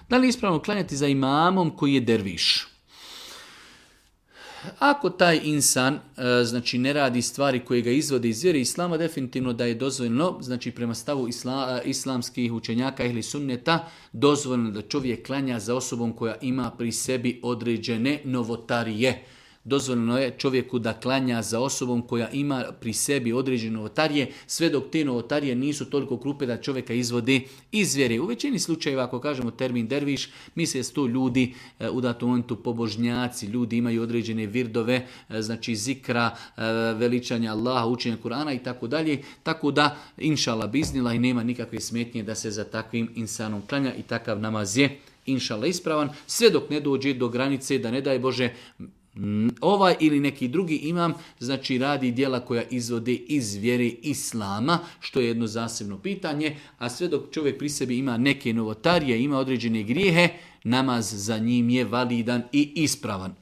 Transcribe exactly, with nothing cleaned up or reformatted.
Da li je ispravno klanjati za imamom koji je derviš? Ako taj insan znači ne radi stvari koje ga izvode iz vjere islama, definitivno da je dozvoljeno, znači prema stavu isla, islamskih učenjaka ili sunneta, dozvoljeno da čovjek klanja za osobom koja ima pri sebi određene novotarije. Dozvoljeno je čovjeku da klanja za osobom koja ima pri sebi određene novotarije, sve dok te novotarije nisu toliko krupe da čovjeka izvodi iz vjere. U većini slučajeva, ako kažemo termin derviš, misle da su to ljudi u datom momentu pobožnjaci, ljudi imaju određene virdove, znači zikra, veličanja Allaha, učenja Kur'ana i tako dalje. Tako da, inšala biznila i nema nikakve smetnje da se za takvim insanom klanja i takav namaz je inšala ispravan, sve dok ne dođe do granice da ne daj Bože ovaj ili neki drugi imam, znači radi djela koja izvode iz vjere islama, što je jedno zasebno pitanje, a sve dok čovjek pri sebi ima neke novotarije, ima određene grijehe, namaz za njim je validan i ispravan.